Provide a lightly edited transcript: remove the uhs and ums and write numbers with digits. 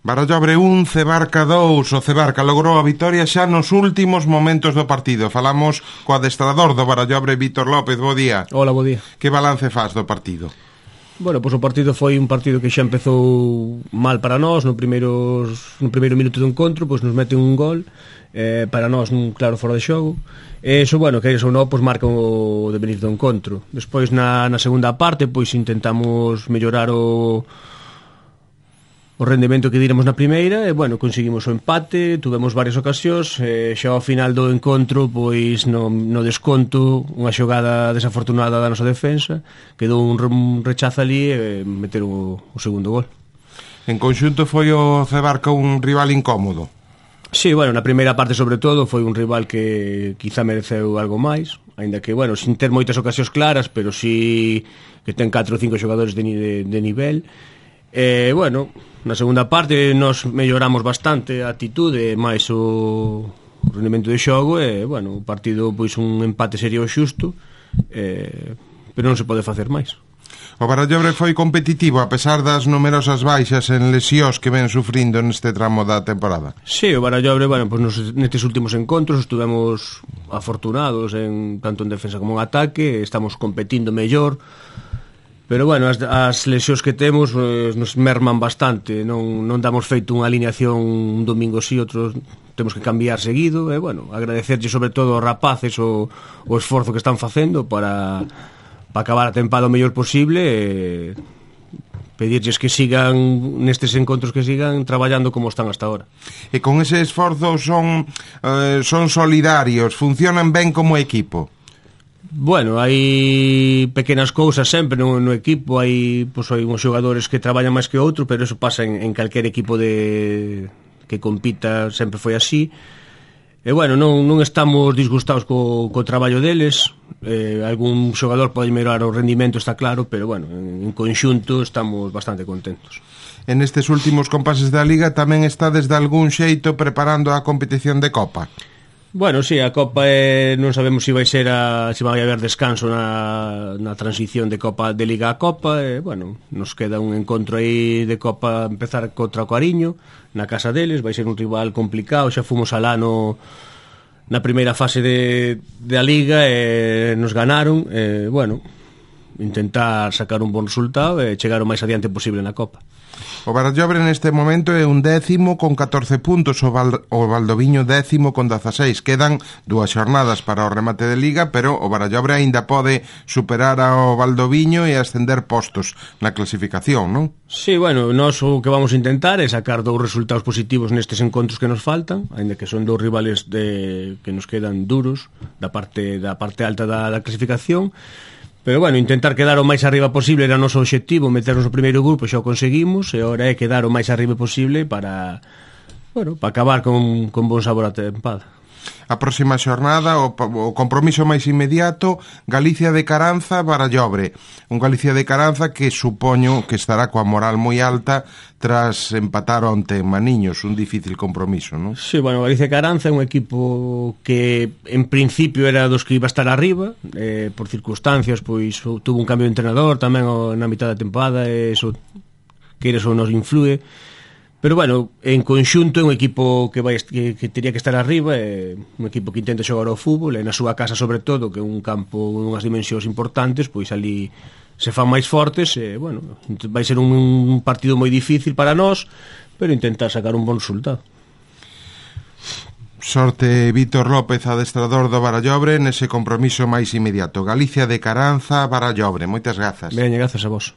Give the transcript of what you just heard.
Barallobre 1, Cebarca 2. O Cebarca logrou a vitoria xa nos últimos momentos do partido. Falamos co adestrador do Barallobre, Vítor López. Bo día. Hola, bo día. Que balance faz do partido? Bueno, pois o partido foi un partido que xa empezou mal para nós. No primeiro minuto do encontro pois nos meten un gol, para nós un claro fora de xogo. Eso, bueno, que eso non, pois marca o devenir do encontro. Despois na segunda parte pois intentamos mellorar o rendemento que diremos na primeira e, bueno, conseguimos o empate, tuvemos varias ocasións, xa ao final do encontro, pois no desconto, unha xogada desafortunada da nosa defensa, quedou un rechazo ali e meteron o segundo gol. En conxunto foi o Cebarca un rival incómodo? Sí, bueno, na primeira parte sobre todo foi un rival que quizá mereceu algo máis, aínda que, bueno, sin ter moitas ocasións claras, pero sí que ten 4 ou 5 xogadores de nivel. Bueno, na segunda parte nos melloramos bastante a actitude, máis o rendemento de xogo e, bueno, o partido, pois un empate sería o xusto, pero non se pode facer máis. O Barallobre foi competitivo a pesar das numerosas baixas en lesións que ven sufrindo neste tramo da temporada. Sí, o Barallobre, bueno, pues nestes últimos encontros estuvemos afortunados tanto en defensa como en ataque, estamos competindo mellor. Pero, bueno, as lesións que temos nos merman bastante. Non damos feito unha alineación un domingo sí, outros temos que cambiar seguido. E, bueno, agradecerlle sobre todo aos rapaces o esforzo que están facendo para acabar a tempada o mellor posible e pedirlles que sigan nestes encontros, que sigan traballando como están hasta ahora. E con ese esforzo son solidarios, funcionan ben como equipo? Bueno, hai pequenas cousas sempre no equipo, hai uns xogadores que traballan máis que outro, pero eso pasa en calquer equipo que compita, sempre foi así. E, bueno, non estamos disgustados co traballo deles. Algún xogador pode mellorar o rendimento, está claro, pero, bueno, en conxunto estamos bastante contentos. En estes últimos compases da Liga tamén está desde algún xeito preparando a competición de Copa? Bueno, sí, a Copa non sabemos se vai haber descanso na transición de Copa de Liga a Copa. Bueno, nos queda un encontro aí de Copa, empezar contra o Cariño na casa deles, vai ser un rival complicado. Xa fomos alá na primeira fase da Liga e nos ganaron. Bueno, intentar sacar un bon resultado e chegar o máis adiante posible na Copa. O Barallobre neste momento é un 10º con 14 puntos, o Valdoviño 10º con 16. Quedan 2 xornadas para o remate de Liga, pero o Barallobre aínda pode superar ao Valdoviño e ascender postos na clasificación, non? Sí, bueno, nós o que vamos a intentar é sacar 2 resultados positivos nestes encontros que nos faltan, aínda que son 2 rivales que nos quedan duros da parte alta da clasificación. Pero, bueno, intentar quedar o máis arriba posible era o noso obxectivo, meternos no primeiro grupo, xa o conseguimos, e agora é quedar o máis arriba posible para acabar con bon sabor a tempada. A próxima xornada, o compromiso máis inmediato, Galicia de Caranza, Barallobre. Un Galicia de Caranza que supoño que estará coa moral moi alta tras empatar onte en Maniños, un difícil compromiso, non? Sí, bueno, Galicia de Caranza é un equipo que en principio era dos que iba a estar arriba, por circunstancias, pois tuvo un cambio de entrenador tamén na mitad da temporada, e eso que eso nos influe. Pero, bueno, en conxunto é un equipo que teria que estar arriba, é un equipo que intenta xogar ao fútbol, e na súa casa sobre todo, que é un campo con unhas dimensións importantes, pois ali se fan máis fortes, e, bueno, vai ser un partido moi difícil para nós, pero intentar sacar un bon resultado. Sorte, Vítor López, adestrador do Barallobre, nese compromiso máis inmediato. Galicia de Caranza, Barallobre. Moitas grazas. Ben, grazas a vos.